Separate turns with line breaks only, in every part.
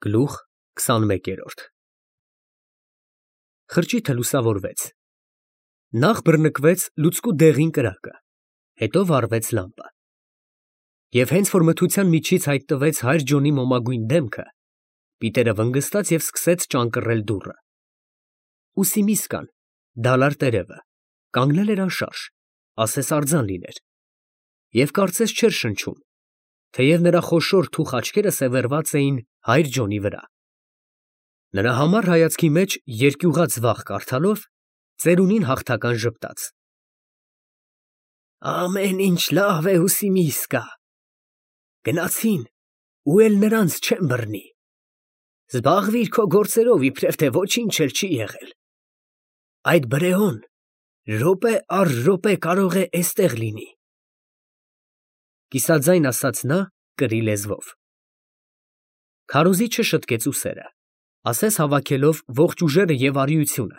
Գլուխ 21 Խրճիթը լուսավորվեց։ Նախ բռնկվեց լուցկու դեղին կրակը, հետո վառվեց լամպը։ Եվ հենց որ մթության միջից հայտնվեց հայր Ջոնի մոմագույն դեմքը, Պիտերը վնգստաց և սկսեց ճանկռել դուռը։ Ուսիմիսկան, դալար տերևը, կանգնել էր անշարժ, ասես արձան լիներ, և կարծես չէր շնչում, թեև նրա խոշոր թուխ աչքերը սևեռված էին հայր Ջոնի վրա։ Նրա համառ հայացքի մեջ երկյուղած վախ կարդալով, ծերունին հաղթական ժպտաց. Ամեն ինչ լավ է, Ուսիմիսկա, գնացին ու էլ նրանց չեմ բռնի, զբաղվիր քո գործերով, իբրև թե ոչինչ էլ չի եղել, այդ բրեոն րոպե առ րոպե կարող է էստեղ լինի։ Կիսաձայն ասաց նա կրի լեզվով։ Քարոզիչը շտկեց ուսերը, ասես հավաքելով ողջ ուժերը և արիությունը,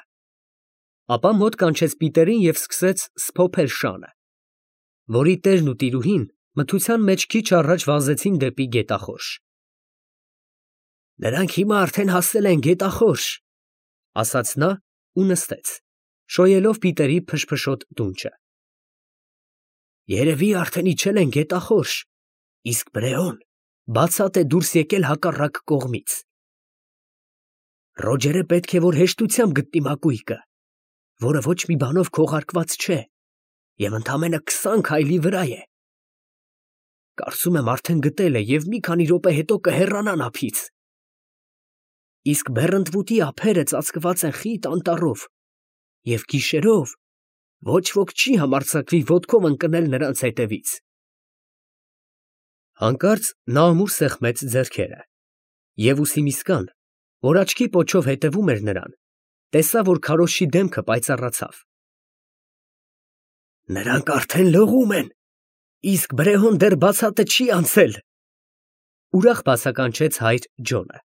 ապա մոտ կանչեց Պիտերին և սկսեց սփոփել շանը, որի տերն ու տիրուհին մթության մեջ քիչ առաջ վազեցին դեպի գետախորշ։ Նրանք հիմա արդեն հասել են գետախորշ, ասաց նա ու նստեց, շոյելով Պիտերի փշփշոտ դունչը։ Երևի արդեն իջել են գետախորշ, իսկ բրեոն բացատ է դուրս եկել հակառակ կողմից։ Ռոջերը պետք է որ հեշտությամբ գտնի մակույկը, որը ոչ մի բանով քողարկված չէ և ընդամենը 20 քայլի վրա է։ Կարծում եմ արդեն գտել է և մի քանի րոպե հետո կհեռանա ափից։ Իսկ բեռնտվուտի ափերը ծածկված են խիտ անտառով, և գիշերով ոչ ոք չի համարձակվի ոտքով ընկնել նրանց հետևից։ Հանկարծ նա ամուր սեղմեց ձեռքերը, և Ուսիմիսկան, որ աչքի պոչով հետևում էր նրան, տեսավ, որ քարոզչի դեմքը պայծառացավ։ Նրանք արդեն լողում են, իսկ բրեոն դեռ բացատը չի անցել, ուրախ բացականչեց հայր Ջոնը։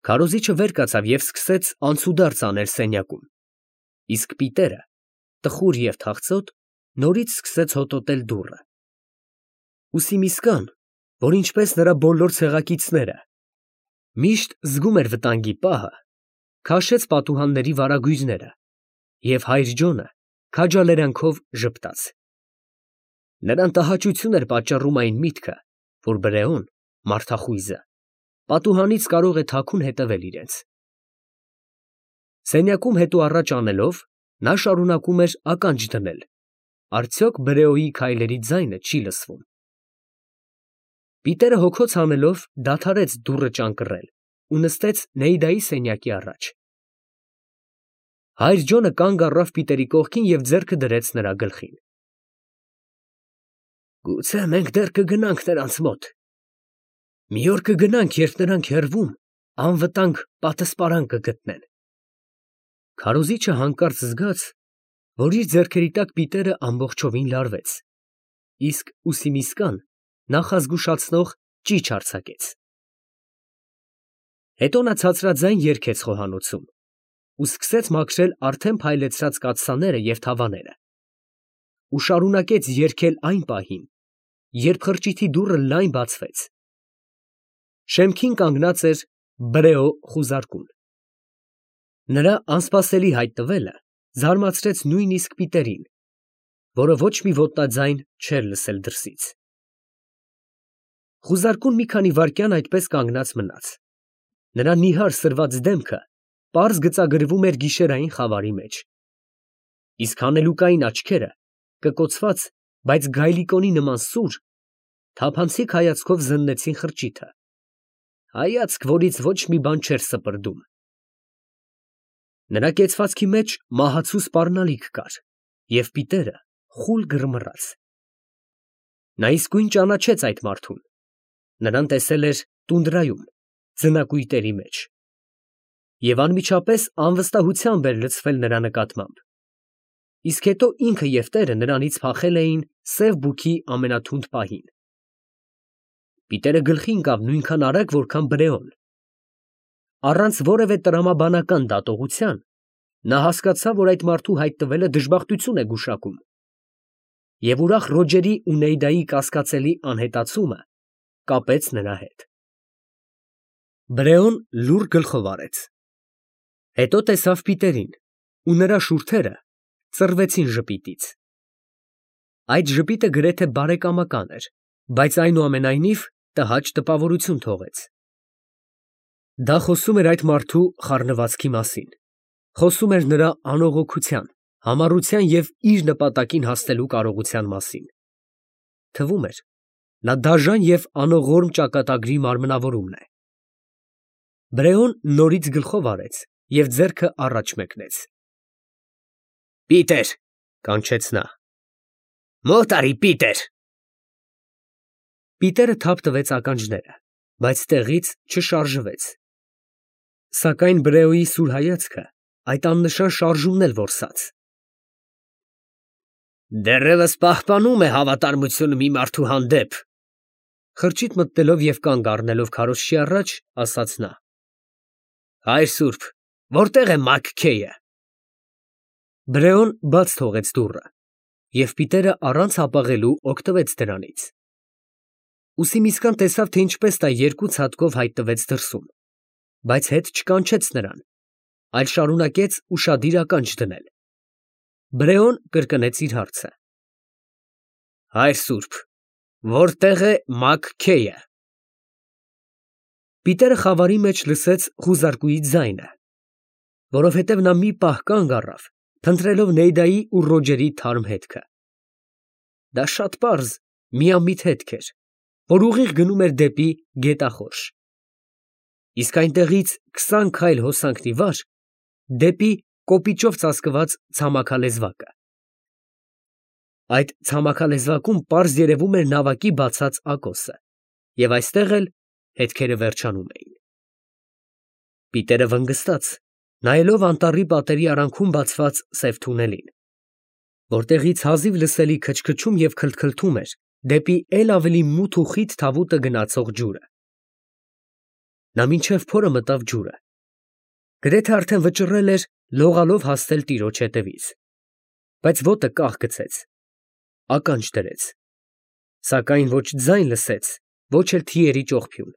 Քարոզիչը վեր կացավ և սկսեց անցուդարձ անել սենյակում, իսկ Պիտերը, տխուր և թախծոտ, նորից սկսեց հոտոտել դուռը։ Ուսիմիսկան, որ ինչպես նրա բոլոր ցեղակիցները, միշտ զգում էր վտանգի պահը, քաշեց պատուհանների վարագույրները, և հայր Ջոնը քաջալերանքով ժպտաց։ Նրան տհաճություն էր պատճառում այն միտքը, որ բրեոն, մարդախույզը, պատուհանից կարող է թաքուն հետևել իրենց։ Սենյակում հետո առաջ անելով, նա շարունակում էր ականջ դնել, արդյոք բրեոյի քայլերի ձայնը չի լսվում։ Պիտերը հոգոց հանելով դադարեց դուռը ճանկռել ու նստեց Նեիդայի սենյակի առաջ։ Հայր Ջոնը կանգ առավ Պիտերի կողքին և ձեռքը դրեց նրա գլխին։ Գուցե մենք դեռ կգնանք նրանց մոտ։ Մի օր կգնանք, երբ նրանք հեռվում անվտանգ պատսպարան կգտնեն։ Քարոզիչը հանկարծ զգաց, որ իր ձեռքերի տակ Պիտերը ամբողջովին լարվեց, իսկ Ուսիմիսկան նախազգուշացնող ճիչ արձակեց։ Հետո նա ցածրաձայն երգեց խոհանոցում ու սկսեց մաքրել արդեն փայլեցրած կաթսաները և թավաները, ու շարունակեց երգել այն պահին, երբ խրճիթի դուռը լայն բացվեց։ Շեմքին կանգնած էր բրեո խուզարկուն։ Նրա անսպասելի հայտնվելը զարմացրեց նույնիսկ Պիտերին, որը ոչ մի ոտնաձայն չէր լսել դրսից։ Խուզարկուն մի քանի վայրկյան այդպես կանգնած մնաց։ Նրա նիհար սրված դեմքը պարզ գծագրվում էր գիշերային խավարի մեջ, իսկ հանելուկային աչքերը, կկոցված, բայց գայլիկոնի նման սուր, թափանցիկ հայացքով զննեցին խրճիթը, հայացք, որից ոչ մի բան չէր սպրդում։ Նրա կեցվածքի մեջ մահացու սպառնալիք կար, և Պիտերը խուլ գրմռաց։ Նա իսկույն ճանաչեց այդ մարդուն. նրան տեսել էր տունդրայում, ձնակույտերի մեջ, և անմիջապես անվստահությամբ էր լցվել նրա նկատմամբ, իսկ հետո ինքը և տերը նրանից փախել էին սև բուքի ամենաթունդ պահին։ Պիտերը գլխի ընկավ նույնքան արագ, որքան բրեոն։ Առանց որևէ տրամաբանական դատողության նա հասկացավ, որ այդ մարդու հայտնվելը դժբախտություն է գուշակում, և ուրախ Ռոջերի ու Նեիդայի կասկածելի անհետացումը կապեց նրա հետ։ Բրեոն լուռ գլխով արեց։ Հետո տեսավ Պիտերին, ու նրա շուրթերը ծռվեցին ժպիտից։ Այդ ժպիտը գրեթե բարեկամական էր, բայց այնուամենայնիվ տհաճ տպավորություն թողեց։ Դա խոսում էր այդ մարդու խառնվածքի մասին, խոսում էր նրա անողոքության, համառության և իր նպատակին հասնելու կարողության մասին։ Թվում էր, նա դաժան և անողորմ ճակատագրի մարմնավորումն է։ Բրեոն նորից գլխով արեց և ձեռքը առաջ մեկնեց։ «Պիտեր», կանչեց նա, «մոտ արի, Պիտեր»։ Պիտերը թափ տվեց ականջները, բայց տեղից չշարժվեց։ Սակայն Բրեոյի սուր հայացքը այդ աննշան շարժումն էլ որսաց։ «Դեռևս պահպանում է հավատարմությունը մի մարդու հանդեպ», խրճիթ մտնելով և կանգ առնելով քարոզչի առաջ, ասաց նա. «Հայր սուրբ, որտե՞ղ է Մակքեյը»։ Բրեոն բաց թողեց դուռը, և Պիտերը առանց հապաղելու օգտվեց դրանից։ Ուսիմիսկան տեսավ, թե ինչպես նա երկու ցատկով հայտնվեց դրսում, բայց հետ չկանչեց նրան, այլ շարունակեց ուշադիր ականջ դնել։ Բրեոն կրկնեց իր հարցը. «Հայր սուրբ, որտե՞ղ է Մակքեյը»։ Պիտերը խավարի մեջ լսեց խուզարկուի ձայնը, որովհետև նա մի պահ կանգ առավ, փնտրելով Նեյդայի ու Ռոջերի թարմ հետքը։ Դա շատ պարզ, միամիտ հետք էր, որ ուղիղ գնում էր դեպի գետախորշ, իսկ այնտեղից 20 քայլ հոսանքն ի վար՝ դեպի կոպիճով ծածկված ցամաքալեզվակը։ Այդ ցամաքալեզվակում պարզ երևում էր նավակի բացած ակոսը, և այստեղ էլ հետքերը վերջանում էին։ Պիտերը վնգստաց, նայելով անտառի պատերի արանքում բացված սև թունելին, որտեղից հազիվ լսելի քչքչում և քլթքլթում էր դեպի էլ ավելի մութ ու խիտ թավուտը գնացող ջուրը։ Նա մինչև փորը մտավ ջուրը, գրեթե արդեն վճռել էր լողալով հասնել տիրոջ հետևից, բայց ոտը կախ գցեց, ականջ դրեց, սակայն ոչ ձայն լսեց, ոչ էլ թիերի ճողփյուն։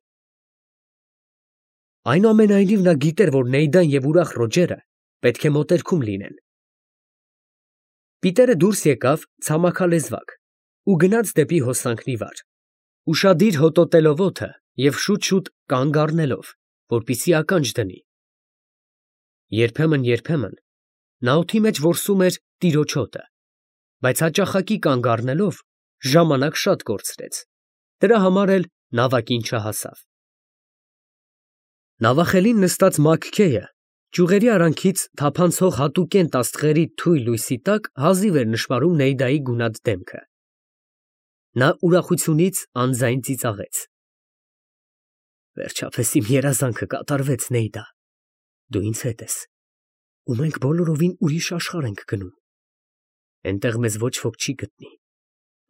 Այնուամենայնիվ նա գիտեր, որ Նեյդան և ուրախ Ռոջերը պետք է մոտերքում լինեն։ Պիտերը դուրս եկավ ցամաքալեզվակ ու գնաց դեպի հոսանքն ի վար, ուշադիր հոտոտելով օդը և շուտ֊շուտ կանգ առնելով, որպեսզի ականջ դնի։ Երբեմն նա օդի մեջ որսում էր տիրոջ հոտը, բայց հաճախակի կանգ առնելով ժամանակ շատ կորցրեց, դրա համար էլ նավակին չհասավ։ Նավախելին նստած Մակքեյը ճյուղերի արանքից թափանցող հատուկենտ աստղերի թույլ լույսի տակ հազիվ էր նշմարում Նեյդայի գունատ դեմքը։ Նա ուրախությունից անձայն ծիծաղեց. «Վերջապես իմ երազանքը կատարվեց, Նեյդա, դու ինձ հետ ես, ու մենք բոլորովին ուրիշ աշխարհ ենք գնում։ Էնտեղ մեզ ոչ ոք չի գտնի,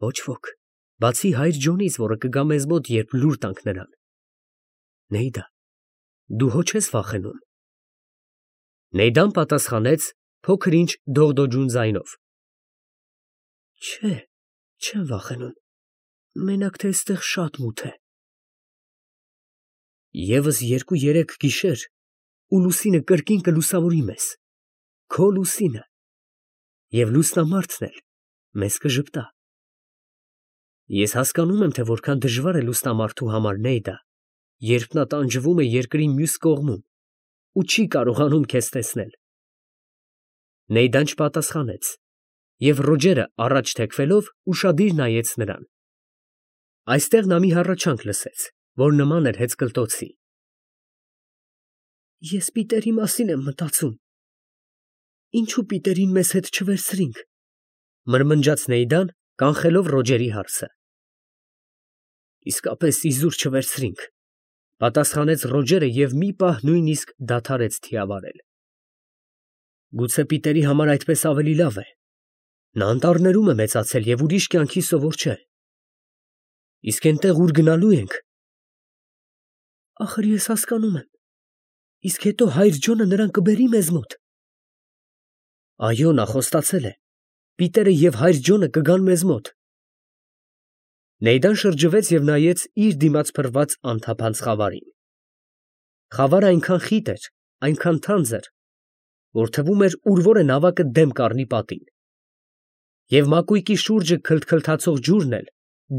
ոչ ոք, բացի հայր Ջոնից, որը կգա մեզ մոտ, երբ լուր տանք նրան։ Նեյդա, դու հո չես վախենում»։ Նեյդան պատասխանեց փոքր-ինչ դողդոջուն ձայնով. Չէ, չեմ վախենում, մենակ թե էստեղ շատ մութ է։ Եվս 2-3 գիշեր, ու լուսինը կրկին կլուսավորի մեզ, քո լուսինը, և լուսնամարտն էլ մեզ կժպտա։ Ես հասկանում եմ, թե որքան դժվար է լուսնամարտու համար, Նեյդա, երբ նա տանջվում է երկրի մյուս կողմում ու չի կարողանում քեզ տեսնել։ Նեյդան չպատասխանեց, և Ռոջերը առաջ թեքվելով ուշադիր նայեց նրան։ Այստեղ նա մի հառաչանք լսեց, որ նման էր հեծկլտոցի։ Ես Պիտերի մասին եմ մտածում, ինչու Պիտերին մեզ հետ չվերցրինք, մրմնջաց Նեյդան, կանխելով Ռոջերի հարցը։ Իսկապես իզուր չվերցրինք, պատասխանեց Ռոջերը և մի պահ նույնիսկ դադարեց թիավարել։ Գուցե Պիտերի համար այդպես ավելի լավ է, նա անտառներում է մեծացել և ուրիշ կյանքի սովոր չէ։ Իսկ էնտեղ, ուր գնալու ենք։ Ախր ես հասկանում եմ, իսկ հետո հայր Ջոնը նրան կբերի մեզ մոտ։ Այո, նա խոստացել է, Պիտերը և հայր Ջոնը կգան մեզ մոտ։ Նեյդան շրջվեց և նայեց իր դիմաց փռված անթափանց խավարին։ Խավարը այնքան խիտ էր, այնքան թանձր, որ թվում էր ուրվոր է նավակը դեմ կառնի պատին, և մակույկի շուրջը քլթքլթացող ջուրն էլ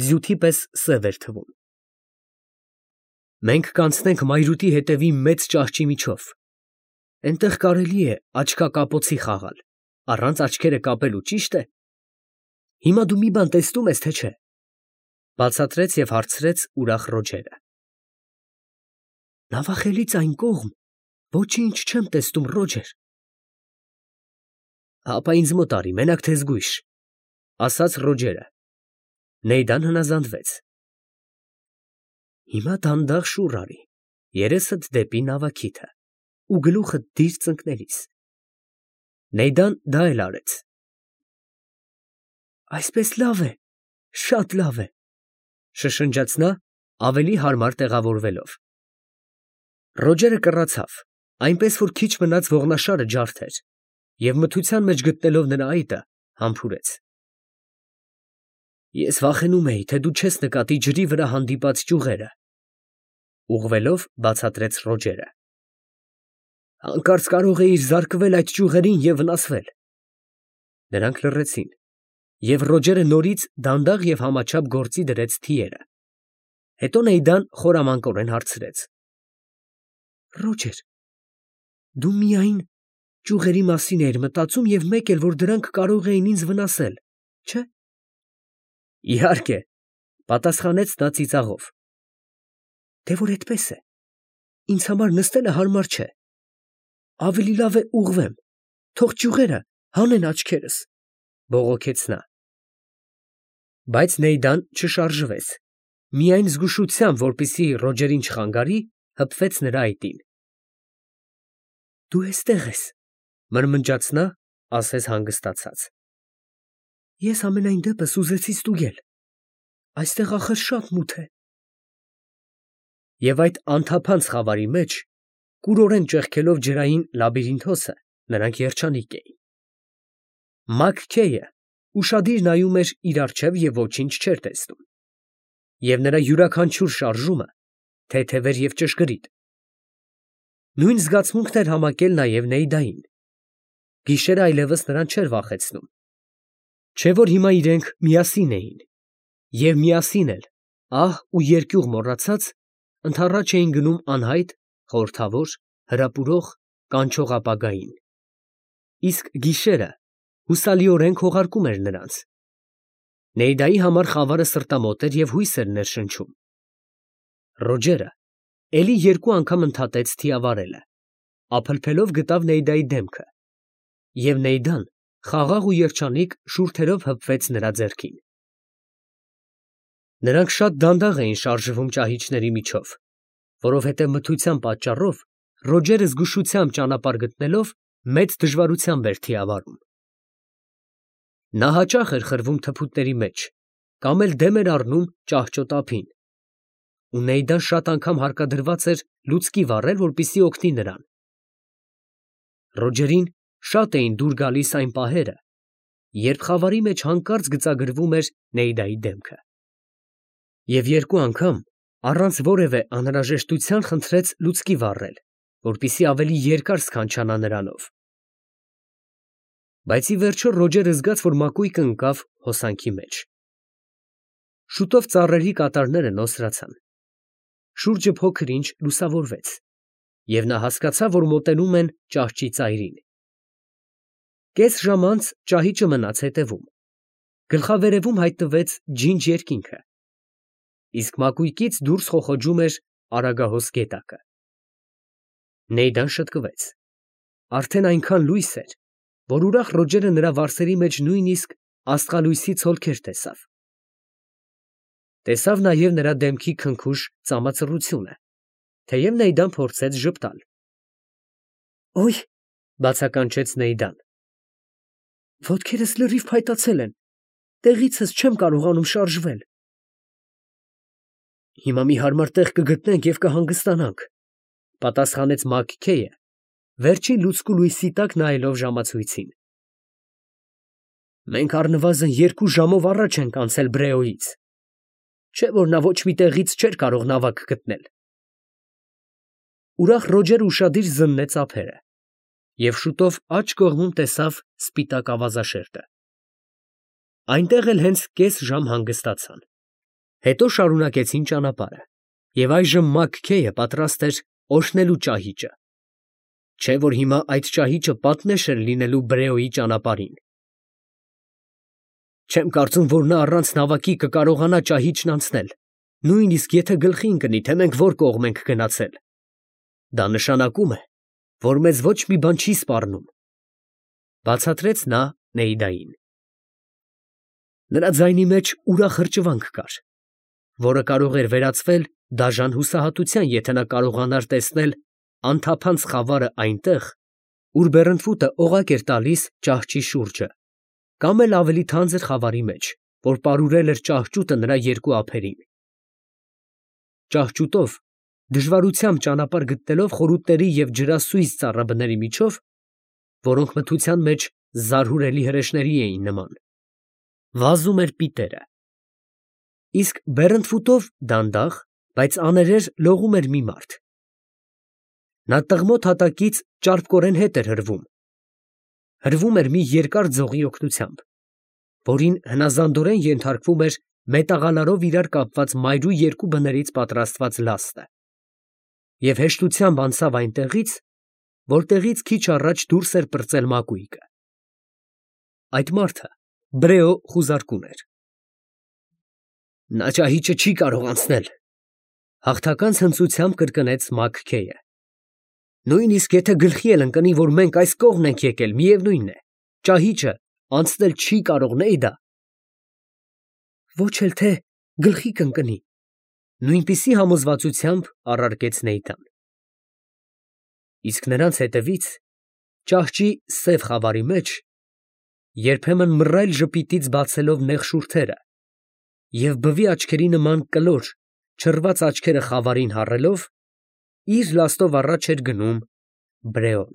ձյութի պես սև էր թվում։ Մենք կանցնենք մայրուտի հետևի մեծ ճահճի միջով, այնտեղ կարելի է աչքակապոցի խաղալ, առանց աչքերը կապելու, ճիշտ է։ Հիմա դու մի բան տեսնում ես, թե չէ, բացատրեց և հարցրեց ուրախ Ռոջերը։ Նավախելից այն կողմ ոչինչ չեմ տեսնում, Ռոջեր։ Հապա ինձ մոտ արի, մենակ թե զգույշ, ասաց Ռոջերը։ Նեյդան հնազանդվեց։ Հիմա դանդաղ շուռ արի, երեսդ դեպի նավակիթը ու գլուխդ դիր ծնկներիս։ Նեյդան դա էլ արեց։ Այսպես լավ է, շատ լավ է, շշնջաց նա, ավելի հարմար տեղավորվելով։ Ռոջերը կռացավ, այնպես որ քիչ մնաց ողնաշարը ջարդեր, և մթության մեջ գտնելով նրա այտը, համբուրեց։ Ես վախենում էի, թե դու չես նկատի ջրի վրա հանդիպած ճյուղերը, ուղղվելով բացատրեց Ռոջերը։ Հանկարծ կարող էիր զարկվել այդ ճյուղերին և վնասվել։ Նրանք լռեցին, և Ռոջերը նորից դանդաղ և համաչափ գործի դրեց թիերը։ Հետո Նեյդան խորամանկորեն հարցրեց. Ռոջեր, դու միայն ճյուղերի մասին էիր մտածում և մեկ էլ, որ դրանք կարող էին ինձ վնասել, չէ՞։ Իհարկե, պատասխանեց նա ծիծաղով։ Դե որ այդպես է, ինձ համար նստելը հարմար չէ։ Ավելի լավ է ուղղվեմ, թող ճյուղերը հանեն աչքերս, բողոքեց նա։ Բայց Նեյդան չշարժվեց, միայն զգուշությամբ, որպեսզի Ռոջերին չխանգարի, հպվեց նրա այտին։ Դու էստեղ ես, մրմնջաց նա, ասես հանգստացած։ Ես ամենայն դեպս ուզեցի ստուգել, այստեղ ախր շատ մութ է։ Եվ այդ անթափանց խավարի մեջ, կուրորեն ճեղքելով ջրային լաբիրինթոսը, նրանք երջանիկ էին։ Մաքքեյը ուշադիր նայում էր իր առջև և ոչինչ չէր տեսնում, և նրա յուրաքանչյուր շարժումը թեթև էր և ճշգրիտ։ Նույն զգացմունքն էր համակել նաև Նեյդային։ Գիշերը այլևս նրան չէր վախեցնում։ Չէ՞ որ հիմա իրենք միասին էին, և միասին էլ, ահ ու երկյուղ մոռացած, ընդառաջ էին գնում անհայտ, խորհրդավոր, հրապուրող, կանչող ապագային։ Իսկ գիշերը հուսալիորեն քողարկում էր նրանց։ Նեյդայի համար խավարը սրտամոտ էր և հույս էր ներշնչում։ Ռոջերը էլի երկու անգամ ընդհատեց թիավարելը, ափլփելով գտավ Նեյդայի դեմքը, և Նեյդան խաղաղ ու երջանիկ շուրթերով հպվեց նրա ձեռքին։ Նրանք շատ դանդաղ էին շարժվում ճահիճների միջով, որովհետև մթության պատճառով Ռոջերը զգուշությամբ ճանապարհ գտնելով մեծ դժվարությամբ էր թիավարում։ Նա հաճախ էր խրվում թփուտների մեջ, կամ էլ դեմ էր առնում ճահճոտ ափին, ու Նեյդան շատ անգամ հարկադրված էր լուցկի վառել, որպեսզի օգնի նրան։ Ռոջերին շատ էին դուր գալիս այն պահերը, երբ խավարի մեջ հանկարծ գծագրվում էր Նեյդայի դեմքը։ Եվ երկու անգամ առանց որևէ անհրաժեշտության խնդրեց լուցկի վառել, որպեսզի ավելի երկար սքանչանա նրանով։ Բայց ի վերջո Ռոջերը զգաց, որ մակույկը ընկավ հոսանքի մեջ։ Շուտով ծառերի կատարները նոսրացան։ Շուրջը փոքր-ինչ լուսավորվեց, և նա հասկացավ, որ մոտենում են ճահճի ծայրին։ Կես ժամ անց ճահիճը մնաց հետևում։ Գլխավերևում հայտնվեց ջինջ երկինքը, իսկ մակույկից դուրս խոխոջում էր Արագահոս գետակը։ Նեյդան շտկվեց։ Արդեն այնքան լույս էր, որ ուրախ Ռոջերը նրա վարսերի մեջ նույնիսկ աստղալույսի ցոլքեր տեսավ։ Տեսավ նաև նրա դեմքի քնքուշ ծամածռությունը, թեև Նեյդան փորձեց ժպտալ։ Օյ, բացականչեց Նեյդան։ Ոտքերս լրիվ փայտացել են, տեղիցս չեմ կարողանում շարժվել։ Հիմա մի հարմար տեղ կգտնենք և կհանգստանանք, պատասխանեց Մաքքեյը, վերջին լուցկու լույսի տակ նայելով ժամացույցին։ Մենք առնվազն 2 ժամով առաջ ենք անցել Բրեոյից, չէ՞ որ նա ոչ մի տեղից չէր կարող նավակ գտնել։ ուրախ Ռոջերը ուշադիր զննեց ափերը և շուտով աջ կողմում տեսավ սպիտակ ավազաշերտը։ Այնտեղ էլ հենց կես ժամ հանգստացան, հետո շարունակեցին ճանապարհը, և այժմ Մաքքեյը պատրաստ էր օրհնելու ճահիճը, չէ՞ որ հիմա այդ ճահիճը պատնեշ էր լինելու Բրեոյի ճանապարհին։ Չեմ կարծում, որ նա առանց նավակի կկարողանա ճահիճն անցնել, նույնիսկ եթե գլխի ընկնի, թե մենք որ կողմ ենք գնացել։ Դա նշանակում է, որ մեզ ոչ մի բան չի սպառնում, ֊ բացատրեց նա Նեիդային։ Նրա ձայնի մեջ ուրախ հրճվանք կար, որը կարող էր վերածվել դաժան հուսահատության, եթե նա կարողանար տեսնել անթափանց խավարը այնտեղ, ուր բեռնթուտը օղակ էր տալիս ճահճի շուրջը, կամ էլ ավելի թանձր խավարի մեջ, որ պարուրել էր ճահճուտը նրա երկու ափերին։ Ճահճուտով դժվարությամբ ճանապարհ գտնելով խորհուրդների և ջրասույզ ծառաբների միջով, որոնք մթության մեջ զարհուրելի հրեշների էին նման, վազում էր պիտերը, իսկ բեռնթուտով դանդաղ, բայց աներեր լողում էր մի մարդ։ Նա տղմոտ հատակից ճարպկորեն հետ էր հրվում էր մի երկար ձողի օգնությամբ, որին հնազանդորեն ենթարկվում էր մետաղալարով իրար կապված մայրու երկու բներից պատրաստված լաստը, և հեշտությամբ անցավ այնտեղից, որտեղից քիչ առաջ դուրս էր պրծել մակույկը։ Այդ մարդը Բրեո խուզարկուն էր։ Նա ճահիճը չի կարող անցնել, ֊ հաղթական ցնծությամբ կրկնեց Մաքքեյը։ Նույնիսկ եթե գլխի էլ ընկնի, որ մենք այս կողմն ենք եկել, միևնույն է, ճահիճը անցնել չի կարող, Նեյդա։ Ոչ էլ թե գլխի կընկնի, ֊ նույնպիսի համոզվածությամբ առարկեց Նեյդան։ Իսկ նրանց հետևից, ճահճի սև խավարի մեջ, երբեմն մռայլ ժպիտից բացելով նեղ շուրթերը և բվի աչքերի նման կլոր, չռված աչքերը խավարին հառելով, իր լաստով առաջ էր գնում Բրեոն։